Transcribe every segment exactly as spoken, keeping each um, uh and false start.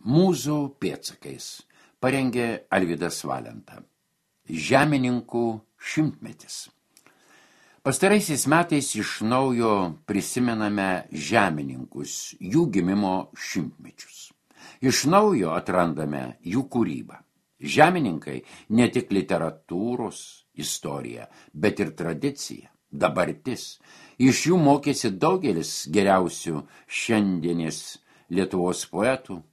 Mūzų pėdsakais parengė Alvydas Valenta. Žemininkų šimtmetis. Pastaraisiais metais iš naujo prisimename žemininkus, jų gimimo šimtmečius. Iš naujo atrandame jų kūrybą. Žemininkai ne tik literatūros istorija, bet ir tradicija, dabartis. Iš jų mokėsi daugelis geriausių šiandienės Lietuvos poetų.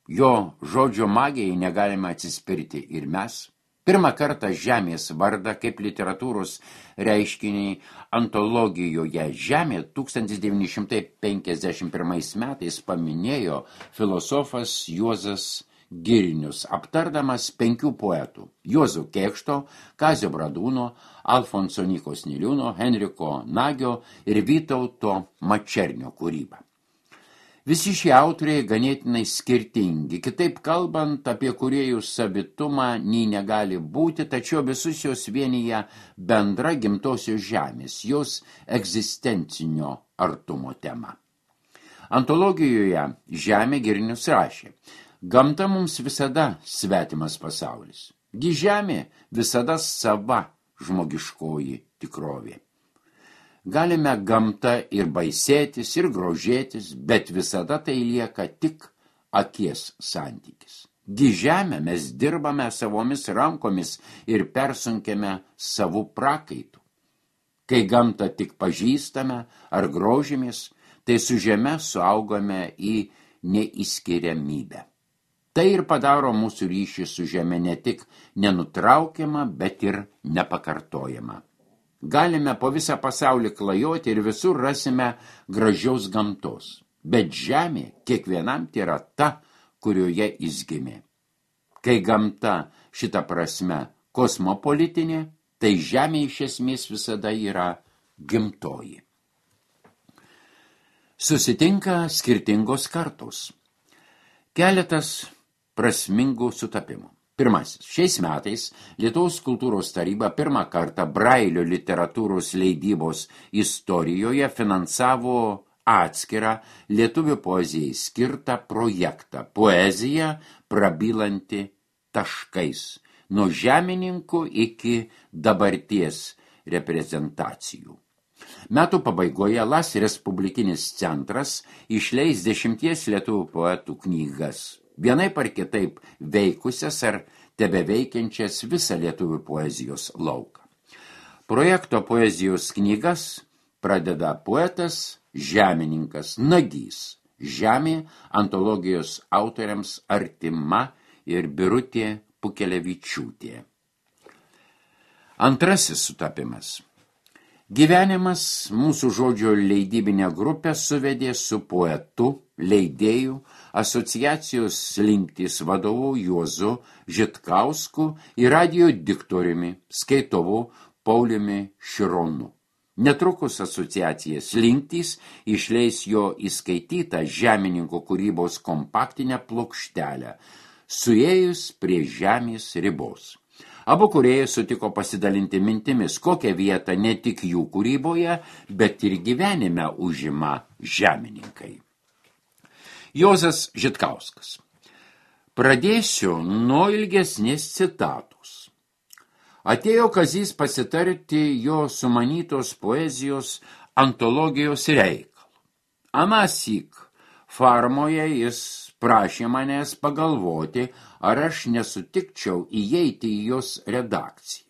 Jo žodžio magijai negalime atsispirti ir mes. Pirmą kartą žemės vardą kaip literatūros reiškiniai antologijoje Žemė tūkstantis devyni šimtai penkiasdešimt pirmais metais paminėjo filosofas Juozas Girnius, aptardamas penkių poetų – Juozo Kėkšto, Kazio Bradūno, Alfonso Nykos Niliūno, Henriko Nagio ir Vytauto Mačernio kūrybą. Visi šie autoriai ganėtinai skirtingi, kitaip kalbant, apie kūrėjų savitumą nei negali būti, tačiau visus jos vienyje bendra gimtosios žemės, jos egzistencinio artumo tema. Antologijoje Žemė Girnius rašė: gamta mums visada svetimas pasaulis, gi žemė visada sava žmogiškoji tikrovė. Galime gamta ir baisėtis, ir grožėtis, bet visada tai lieka tik akies santykis. Gi žemę mes dirbame savomis rankomis ir persunkiame savų prakaitų. Kai gamtą tik pažįstame ar grožimės, tai su žeme suaugame į neįskiriamybę. Tai ir padaro mūsų ryšį su žeme ne tik nenutraukiamą, bet ir nepakartojamą. Galime po visą pasaulį klajoti ir visur rasime gražiaus gamtos, bet žemė kiekvienam yra ta, kurioje jis gimė. Kai gamta šita prasme kosmopolitinė, tai žemė iš esmės visada yra gimtoji. Susitinka skirtingos kartos. Keletas prasmingų sutapimų. Pirmasis. Šiais metais Lietuvos kultūros taryba pirmą kartą Brailio literatūros leidybos istorijoje finansavo atskirą lietuvių poezijai skirtą projektą Poezija prabylanti taškais, nuo žemininkų iki dabarties reprezentacijų. Metų pabaigoje Las Respublikinis centras išleis dešimties lietuvių poetų knygas, vienaip ar kitaip veikusias ar tebeveikiančias visą lietuvių poezijos lauką. Projekto poezijos knygas pradeda poetas, žemininkas Nagys. Žemė antologijos autoriams artima ir Birutė Pukelevičiūtė. Antrasis sutapimas. Gyvenimas mūsų žodžio leidybinę grupę suvedė su poetu, leidėjų, asociacijos Slinktys vadovu Juozu Žitkausku ir radijo diktoriumi, skaitovu Pauliumi Šironu. Netrukus asociacija Slinktys išleis jo įskaitytą žemininko kūrybos kompaktinę plokštelę, suėjus prie žemės ribos. Abu kūrėjai sutiko pasidalinti mintimis, kokią vietą ne tik jų kūryboje, bet ir gyvenime užima žemininkai. Juozas Žitkauskas. Pradėsiu nuo ilgesnės citatos. Atėjo Kazys pasitarti jo sumanytos poezijos antologijos reikalų. Anąsyk farmoje jis prašė manęs pagalvoti, ar aš nesutikčiau įeiti į jos redakciją.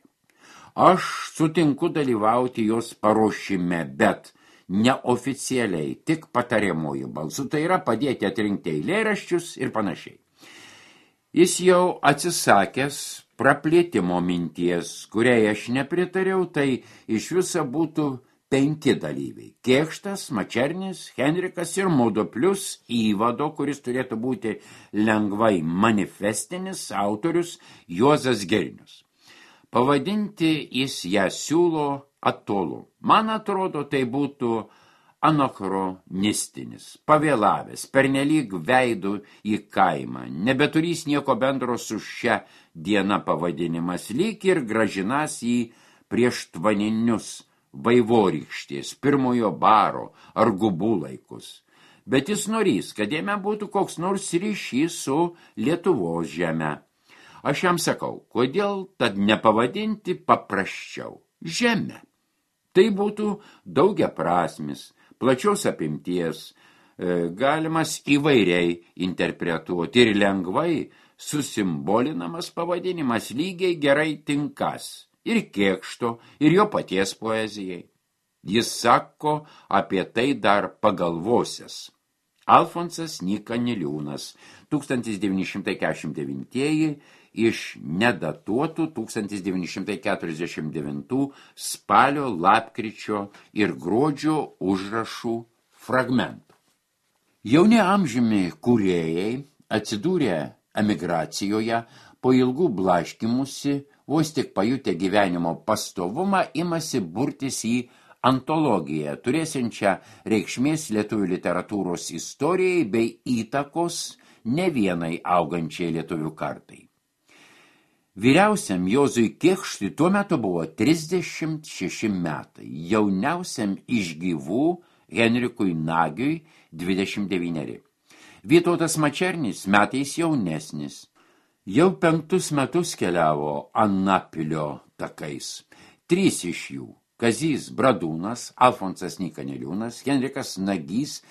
Aš sutinku dalyvauti jos paruošime, bet neoficialiai, tik patariamuoju balsu, tai yra padėti atrinkti eilėraščius ir panašiai. Jis jau atsisakęs praplėtimo minties, kuriai aš nepritariau, tai iš viso būtų penki dalyviai. Kėkštas, Mačernis, Henrikas ir mudu plus įvado, kuris turėtų būti lengvai manifestinis, autorius Juozas Girnius. Pavadinti jis ją siūlo atolu. Man atrodo, tai būtų anachronistinis, pavėlavęs, pernelyg veidų į kaimą, nebeturys nieko bendro su šia diena pavadinimas, lyg ir gražinas į prieštvaninius vaivorykštės, pirmojo baro ar gubų laikus. bet jis norys, kad jame būtų koks nors ryšys su Lietuvos žeme. Aš jam sakau, kodėl tad nepavadinti paprasčiau žemę. Tai būtų daugiaprasmis, plačios apimties, galimas įvairiai interpretuoti ir lengvai susimbolinamas pavadinimas lygiai gerai tinkas ir Kėkšto, ir jo paties poezijai. Jis sako apie tai dar pagalvosias. Alfonsas Nyka Niliūnas, tūkstantis devyni šimtai keturiasdešimt devinti iš nedatuotų tūkstantis devyni šimtai keturiasdešimt devintų spalio, lapkričio ir gruodžio užrašų fragmentų. Jauni amžiumi kūrėjai atsidūrė emigracijoje, po ilgų blaškymusi, vos tik pajutę gyvenimo pastovumą, imasi burtis į antologiją, turėsiančią reikšmės lietuvių literatūros istorijai bei įtakos ne vienai augančiai lietuvių kartai. Vyriausiam Juozui Kėkštui tuo metu buvo trisdešimt šeši metai, jauniausiam iš gyvų Henrikui Nagiui dvidešimt devyneri. Vytautas Mačernis metais jaunesnis. Jau penktus metus keliavo Anapilio takais. Trys iš jų – Kazys Bradūnas, Alfonsas Nyka Niliūnas, Henrikas Nagys,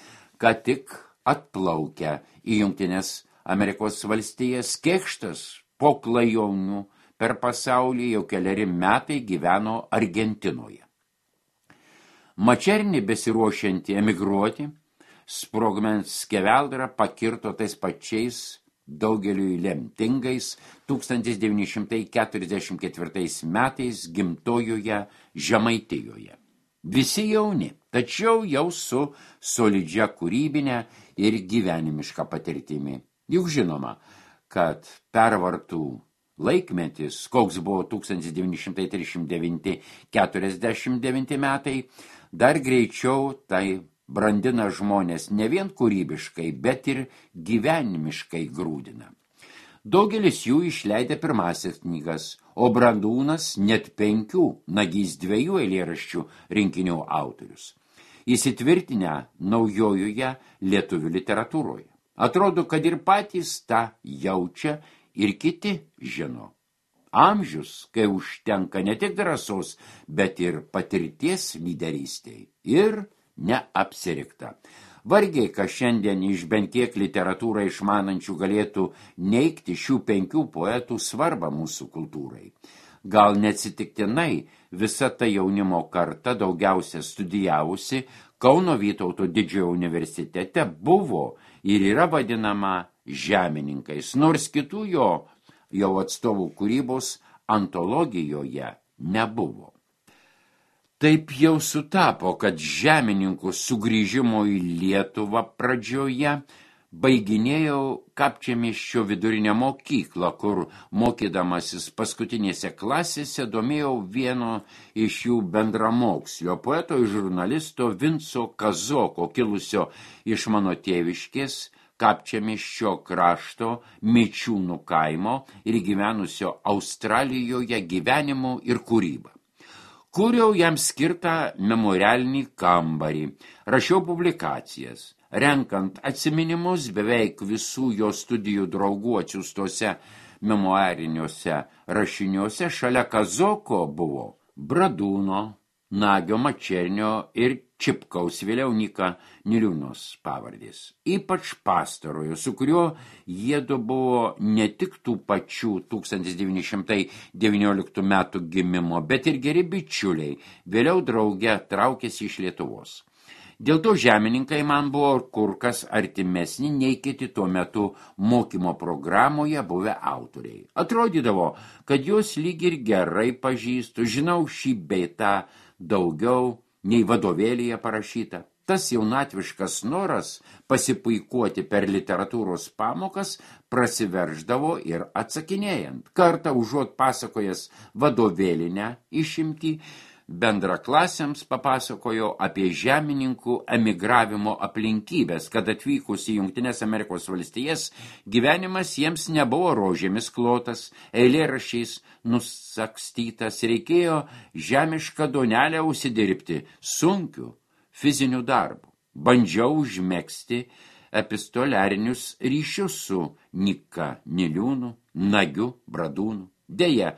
ką tik atplaukę į Jungtines Amerikos valstijas. Kėkštas po klajonių per pasaulį jau keleri metai gyveno Argentinoje. Mačernį besiruošiantį emigruoti, sprogmens skeveldrą pakirto tais pačiais daugeliui lemtingais tūkstantis devyni šimtai keturiasdešimt ketvirtais metais gimtojoje Žemaitijoje. Visi jauni, tačiau jau su solidžia kūrybinė ir gyvenimiška patirtimi. Juk žinoma, kad pervartų laikmetis, koks buvo tūkstantis devyni šimtai trisdešimt devinti keturiasdešimt devinti metai, dar greičiau tai brandina žmonės ne vien kūrybiškai, bet ir gyvenimiškai grūdina. Daugelis jų išleidė pirmasis knygas, o Bradūnas net penkių, Nagys dviejų eilėraščių rinkinių autorius. Įsitvirtinę naujojoje lietuvių literatūroje. Atrodo, kad ir patys tą jaučia ir kiti žino. Amžius, kai užtenka ne tik drąsos, bet ir patirties lyderystei. Ir neapsirikta. Vargiai, kas šiandien iš bent kiek literatūrą išmanančių galėtų neigti šių penkių poetų svarbą mūsų kultūrai. Gal neatsitiktinai visa ta jaunimo karta, daugiausia studijavusi Kauno Vytauto Didžiojo universitete, buvo ir yra vadinama žemininkais, nors kitų jo jau atstovų kūrybos antologijoje nebuvo. Taip jau sutapo, kad žemininkų sugrįžimo į Lietuvą pradžioje baiginėjau Kapčiamiesčio vidurinę mokyklą, kur mokydamasis paskutinėse klasėse domėjau vieno iš jų bendramokslio, poeto ir žurnalisto Vinco Kazoko, kilusio iš mano tėviškės Kapčiamiesčio krašto Mičiūnų kaimo ir gyvenusio Australijoje gyvenimu ir kūryba. Kūriau jam skirtą memorialinį kambarį, rašiau publikacijas, renkant atsiminimus beveik visų jo studijų draugų atsiųstose memoariniuose rašiniuose. Šalia Kazoko buvo Bradūno, Nagio, Mačernio ir Čipkaus, vėliau Nyka Niliūnos pavardės. Ypač pastarojo, su kuriuo jiedu buvo ne tik tų pačių tūkstantis devyni šimtai devynioliktų metų gimimo, bet ir geri bičiuliai, vėliau drauge traukėsi iš Lietuvos. Dėl to žemininkai man buvo kur kas artimesni nei kiti tuo metu mokymo programoje buvę autoriai. Atrodydavo, kad juos lyg ir gerai pažįstu, žinau šį bei tą daugiau nei vadovėlyje parašyta. Tas jaunatviškas noras pasipuikuoti per literatūros pamokas prasiverždavo ir atsakinėjant. Kartą užuot pasakojęs vadovėlinę išimtį, bendraklasiams papasakojo apie žemininkų emigravimo aplinkybės, kad atvykus į Jungtines Amerikos valstijas gyvenimas jiems nebuvo rožėmis klotas, eilėraščiais nusakstytas, reikėjo žemišką duonelę užsidirbti sunkiu fiziniu darbu. bandžiau užmegzti epistoliarinius ryšius su Nyka Niliūnu, Nagiu Bradūnu. Deja,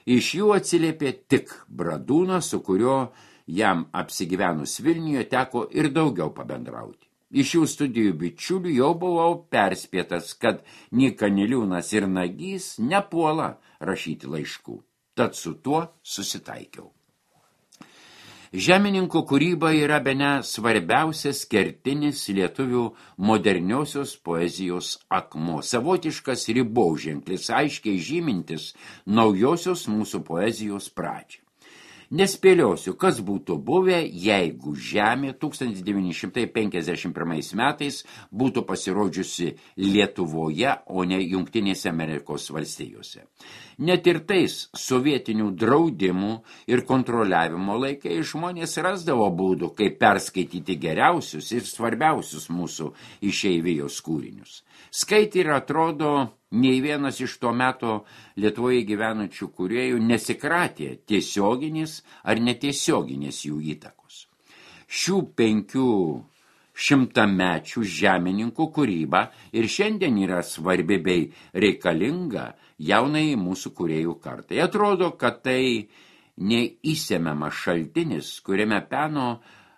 iš jų atsiliepė tik Bradūnas, su kurio jam apsigyvenus Vilniuje teko ir daugiau pabendrauti. Iš jų studijų bičiulių jau buvau perspėtas, kad Nyka Niliūnas ir Nagys nepuola rašyti laiškų. Tad su tuo susitaikiau. Žemininkų kūryba yra bene svarbiausias kertinis lietuvių moderniosios poezijos akmuo, savotiškas ribauženklis, aiškiai žymintis naujosios mūsų poezijos pradžią. Nespėliosiu, kas būtų buvę, jeigu Žemė tūkstantis devyni šimtai penkiasdešimt pirmais metais būtų pasirodžiusi Lietuvoje, o ne Jungtinėse Amerikos valstijose. Net ir tais sovietinių draudimų ir kontroliavimo laikai žmonės rasdavo būdų, kaip perskaityti geriausius ir svarbiausius mūsų išeivijos kūrinius. Skaitė ir atrodo, nei vienas iš to meto Lietuvoje gyvenančių kūrėjų nesikratė tiesioginės ar netiesioginės jų įtakos. Šių penkių šimtamečių žemininkų kūryba ir šiandien yra svarbi bei reikalinga jaunai mūsų kūrėjų kartai. Atrodo, kad tai neįsemiamas šaltinis, kuriame peno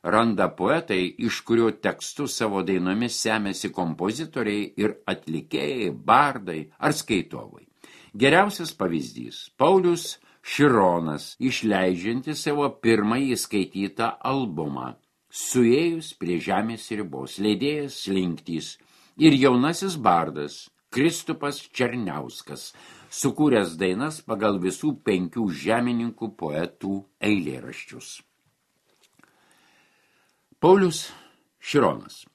randa poetai, iš kurio tekstus savo dainomis semėsi kompozitoriai ir atlikėjai, bardai ar skaitovai. Geriausias pavyzdys – Paulius Šironas, išleidžiantis savo pirmąjį skaitytą albumą Suėjus prie žemės ribos, leidėjas Slinktys ir jaunasis bardas Kristupas Černiauskas, sukūręs dainas pagal visų penkių žemininkų poetų eilėraščius. Paulius Šironas.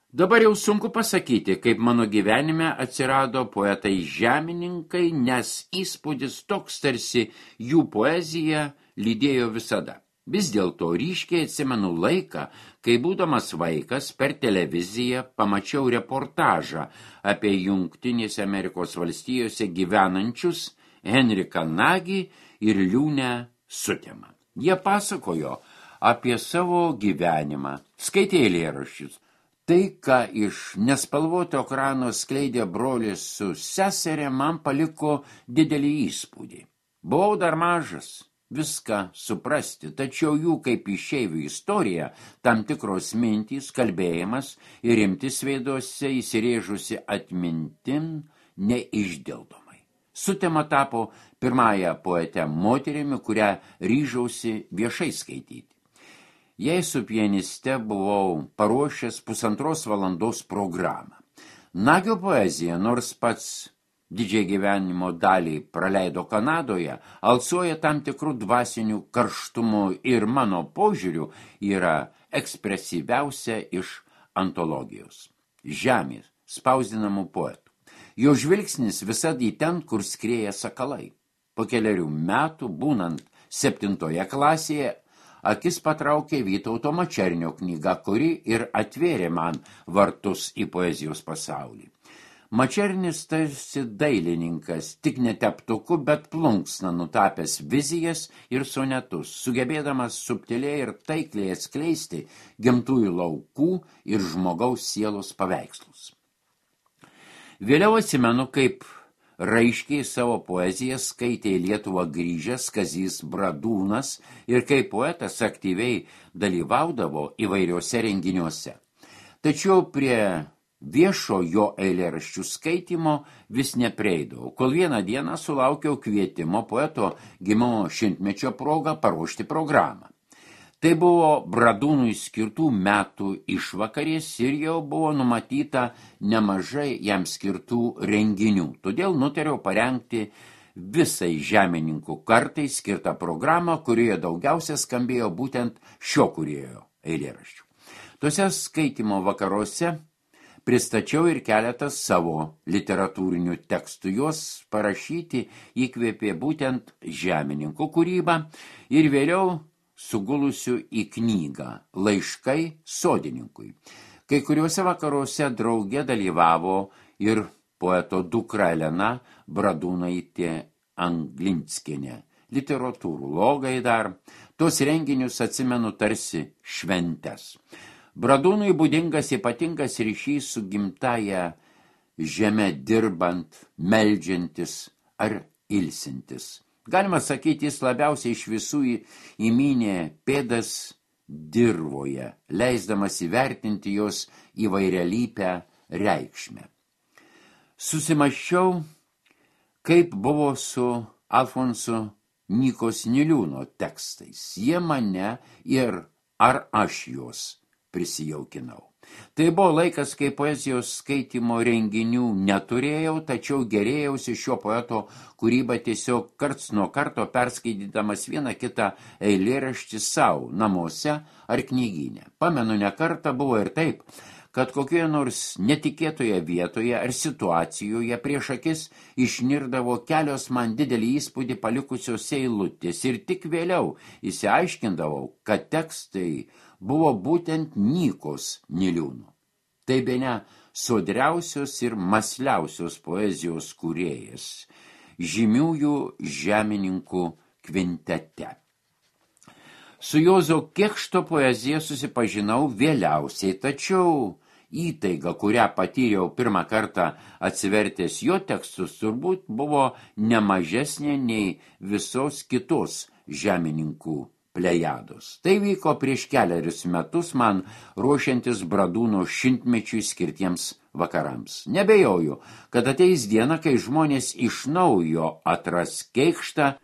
Dabar jau sunku pasakyti, kaip mano gyvenime atsirado poetai žemininkai, nes įspūdis toks tarsi jų poezija lydėjo visada. Vis dėlto ryškiai atsimenu laiką, kai būdamas vaikas per televiziją pamačiau reportažą apie Jungtinėse Amerikos valstijose gyvenančius Henriką Nagį ir Liūnę Sutemą. Jie pasakojo apie savo gyvenimą, skaitė eilėraščius. Tai, ką iš nespalvoto ekrano skleidė brolis su seserė, man paliko didelį įspūdį. Buvau dar mažas viską suprasti, tačiau jų kaip išeivių istorija, tam tikros mintys, kalbėjimas ir rimtis veiduose įsirėžusi atmintin neišdildomai. Sutema tapo pirmąją poetę moterimi, kurią ryžausi viešai skaityti. Jei su pianiste buvau paruošęs pusantros valandos programą. Nagio poezija, nors pats didžiai gyvenimo dalį praleido Kanadoje, alsuoja tam tikrų dvasinių karštumų ir mano požiūrių yra ekspresyviausia iš antologijos. Žemės spausdinamų poetų. Jo žvilgsnis visad į ten, kur skrieja sakalai. Po keliarių metų, būnant septintoje klasėje, akis patraukė Vytauto Mačernio knyga, kuri ir atvėrė man vartus į poezijos pasaulį. Mačernis tarsi dailininkas, tik ne teptuku, bet plunksna nutapęs vizijas ir sonetus, sugebėdamas subtiliai ir taikliai atskleisti gimtųjų laukų ir žmogaus sielos paveikslus. Vėliau atsimenu, kaip raiškiai savo poeziją skaitė į Lietuvą grįžęs Kazys Bradūnas ir kaip poetas aktyviai dalyvaudavo įvairiuose renginiuose. Tačiau prie viešo jo eilėraščių skaitymo vis neprieidavau, kol vieną dieną sulaukiau kvietimo poeto gimimo šimtmečio progą paruošti programą. Tai buvo Bradūnui skirtų metų išvakarės ir jau buvo numatyta nemažai jam skirtų renginių. Todėl nutariau parengti visai žemininkų kartai skirtą programą, kurioje daugiausia skambėjo būtent šio kūrėjo eilėraščių. Tuose skaitymo vakaruose pristačiau ir keletą savo literatūrinių tekstų. Juos parašyti įkvėpė būtent žemininkų kūrybą ir vėliau sugulusių į knygą Laiškai sodininkui. Kai kuriuose vakaruose drauge dalyvavo ir poeto dukra Elena Bradūnaitė Anglinskienė, literatūrologai dar. Tos renginius atsimenu tarsi šventes. Bradūnui būdingas ypatingas ryšys su gimtaja žeme dirbant, meldžiantis ar ilsintis. Galima sakyti, jis labiausiai iš visų įmynė pėdas dirvoje, leisdamas įvertinti jos įvairialypę reikšmę. Susimąsčiau, kaip buvo su Alfonso Nykos Niliūno tekstais. Jie mane ir ar aš juos prisijaukinau. Tai buvo laikas, kai poezijos skaitymo renginių neturėjau, tačiau gerėjausi šio poeto kūrybą tiesiog karts nuo karto perskaitydamas vieną kitą eilėraštį savo namuose ar knygyne. Pamenu, ne kartą buvo ir taip, kad kokioje nors netikėtoje vietoje ar situacijoje prieš akis išnirdavo kelios man didelį įspūdį palikusios eilutės ir tik vėliau įsiaiškindavau, kad tekstai buvo būtent Nykos Niliūno. Tai bene sodriausios ir masliausios poezijos kūrėjas, žymiųjų žemininkų kvintete. Su Juozo Kėkšto poezija susipažinau vėliausiai, tačiau įtaiga, kurią patyriau pirmą kartą atsivertęs jo tekstus, turbūt buvo nemažesnė nei visos kitos žemininkų plejados. Tai vyko prieš keliarius metus man ruošiantis Bradūno šimtmečiui skirtiems vakarams. Nebejoju, kad ateis diena, kai žmonės iš naujo atras Kėkštą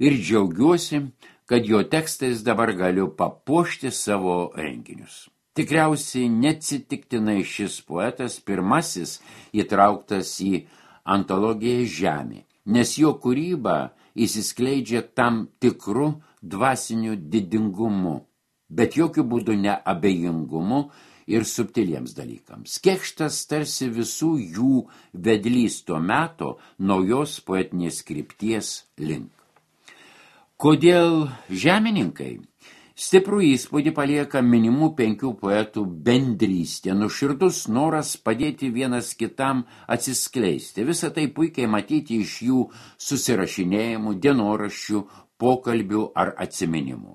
ir džiaugiuosi, kad jo tekstais dabar galiu papuošti savo renginius. Tikriausiai neatsitiktinai šis poetas pirmasis įtrauktas į antologiją Žemė, nes jo kūryba įsiskleidžia tam tikru dvasiniu didingumu, bet jokių būdų ne abejingumu ir subtiliems dalykams. Kėkštas tarsi visų jų vedlys to meto naujos poetinės krypties link. Kodėl žemininkai? Stiprų įspūdį palieka minimų penkių poetų bendrystė, nuoširdus noras padėti vienas kitam atsiskleisti. Visą tai puikiai matyti iš jų susirašinėjimų, dienoraščių, pokalbių ar atsiminimų.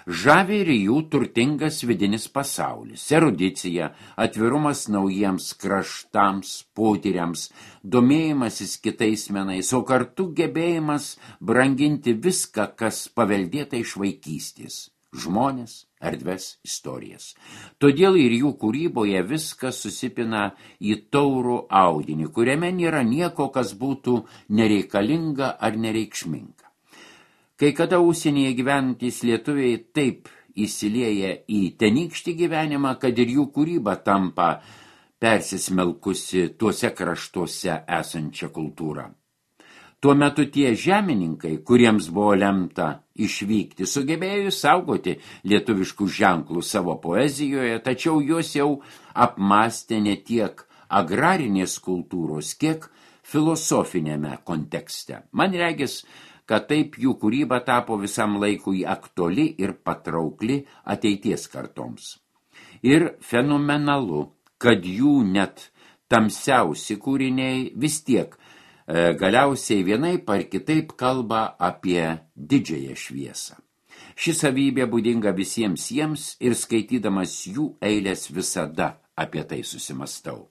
Žavi ir jų turtingas vidinis pasaulis, erudicija, atvirumas naujiems kraštams, potyriams, domėjimasis kitais menais, o kartu gebėjimas branginti viską, kas paveldėta iš vaikystės. Žmonės, erdves, istorijas. Todėl ir jų kūryboje viskas susipina į taurų audinį, kuriame nėra nieko, kas būtų nereikalinga ar nereikšminga. Kai kada užsienyje gyventys lietuviai taip įsilieja į tenykštį gyvenimą, kad ir jų kūryba tampa persismelkusi tuose kraštuose esančią kultūrą. Tuo metu tie žemininkai, kuriems buvo lemta išvykti, sugebėjo saugoti lietuviškų ženklų savo poezijoje, tačiau juos jau apmastė ne tiek agrarinės kultūros, kiek filosofinėme kontekste. Man regis, kad taip jų kūryba tapo visam laikui aktuali ir patraukli ateities kartoms. Ir fenomenalu, kad jų net tamsiausi kūriniai vis tiek galiausiai vienaip ar kitaip kalba apie didžiąją šviesą. Ši savybė būdinga visiems jiems ir skaitydamas jų eilės visada apie tai susimastau.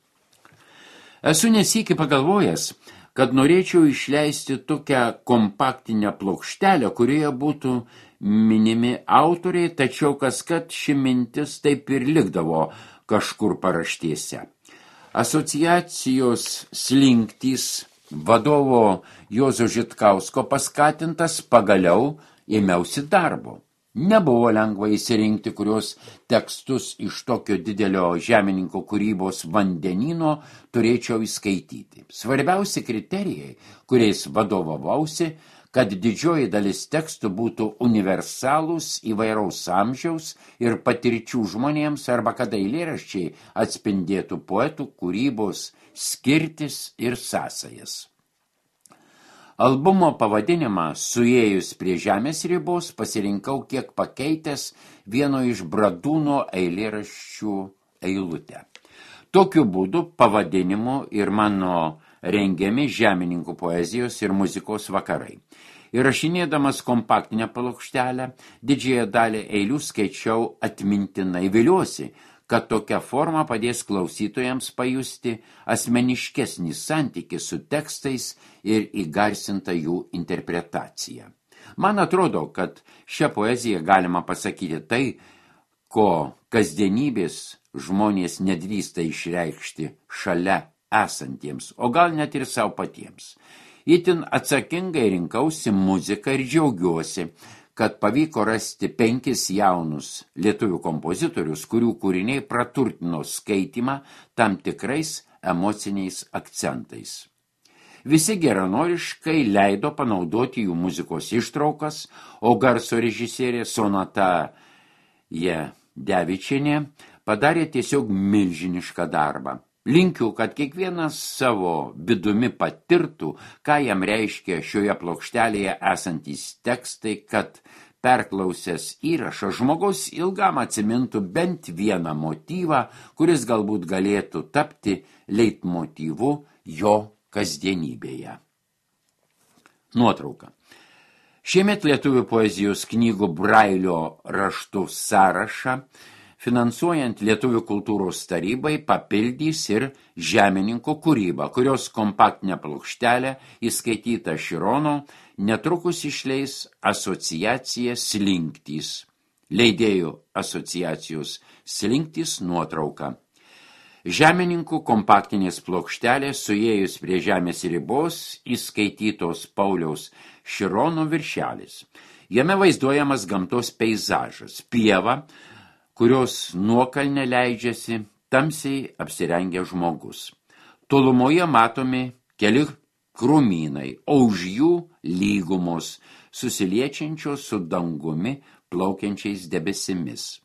Esu nesykį pagalvojęs, kad norėčiau išleisti tokią kompaktinę plokštelę, kurioje būtų minimi autoriai, tačiau kaskart ši mintis taip ir likdavo kažkur paraštėse. Asociacijos slinktys vadovo Juozo Žitkausko paskatintas pagaliau ėmiausi darbo. Nebuvo lengva įsirinkti, kurios tekstus iš tokio didelio žemininko kūrybos vandenyno turėčiau įskaityti. Svarbiausi kriterijai, kuriais vadovavausi, kad didžioji dalis tekstų būtų universalūs įvairaus amžiaus ir patirčių žmonėms arba kad eilėraščiai atspindėtų poetų kūrybos skirtis ir sąsajas. Albumo pavadinimą suėjus prie žemės ribos pasirinkau kiek pakeitęs vieno iš Bradūno eilėraščių eilutę. Tokiu būdu pavadinimu ir mano rengiami žemininkų poezijos ir muzikos vakarai. Įrašinėdamas kompaktinę plokštelę, didžiąją dalį eilių skaičiau atmintinai. Viliuosi, kad tokia forma padės klausytojams pajusti asmeniškesnį santykį su tekstais ir įgarsintą jų interpretaciją. Man atrodo, kad šią poeziją galima pasakyti tai, ko kasdienybės žmonės nedrįsta išreikšti šalia esantiems, o gal net ir savo patiems. Itin atsakingai rinkausi muziką ir džiaugiuosi, kad pavyko rasti penkis jaunus lietuvių kompozitorius, kurių kūriniai praturtino skaitymą tam tikrais emociniais akcentais. Visi geranoriškai leido panaudoti jų muzikos ištraukas, o garso režisierė Sonata Jadevičienė padarė tiesiog milžinišką darbą. Linkiu, kad kiekvienas savo vidumi patirtų, ką jam reiškia šioje plokštelėje esantys tekstai, kad perklausęs įrašą žmogus ilgam atsimintų bent vieną motyvą, kuris galbūt galėtų tapti leitmotyvu jo kasdienybėje. Nuotrauka. Šiemet lietuvių poezijos knygų Brailio raštų sąrašą finansuojant Lietuvių kultūros tarybai papildys ir Žemininko kūrybą, kurios kompaktinę plokštelę įskaityta Širono netrukus išleis asociacija Slinktys. Leidėjų asociacijos Slinktys nuotrauka. Žemininkų kompaktinės plokštelės suėjus prie žemės ribos įskaitytos Pauliaus Širono viršelis. Jame vaizduojamas gamtos peizažas, pieva, kurios nuokalne leidžiasi tamsiai apsirengę žmogus. Tolumoje matomi keli krūmynai, o už jų lygumos, susiliečiančios su dangumi plaukiančiais debesimis.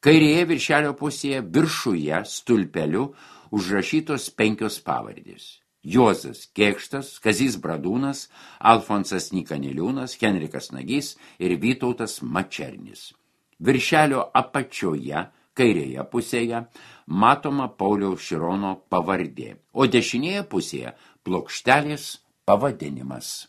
Kairėje viršelio pusėje viršuje stulpeliu užrašytos penkios pavardės. Juozas Kėkštas, Kazys Bradūnas, Alfonsas Nykaneliūnas, Henrikas Nagys ir Vytautas Mačernis. Viršelio apačioje, kairėje pusėje, matoma Pauliaus Širono pavardė, o dešinėje pusėje plokštelės pavadinimas.